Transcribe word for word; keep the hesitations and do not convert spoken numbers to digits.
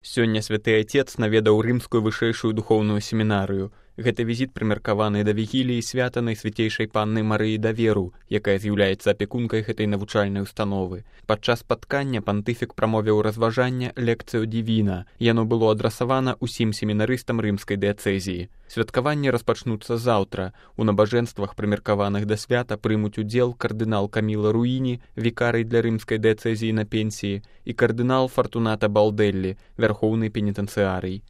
Сёння святы Отец наведаў рымскую вышэйшую духоўную семінарыю. Гэты візіт прымеркаваны да вігіліі свята Найсвяцейшай Панны Марыі Даверу, якая з'яўляецца апекункай гэтай навучальнай установы. Падчас спаткання пантыфік прамовіў разважанне лекцыю дівіна. Яно было адрасавана ўсім семінарыстам рымскай дыяцэзіі. Святкаванні распачнуцца заўтра. У набажэнствах, прымеркаваных да свята, прымуць удзел кардынал Каміла Руіні, вікарый для рымскай дыяцэзіі на пенсіі, і кардынал Фартуната Балдэллі, вярхоўны пенітэнцыярый.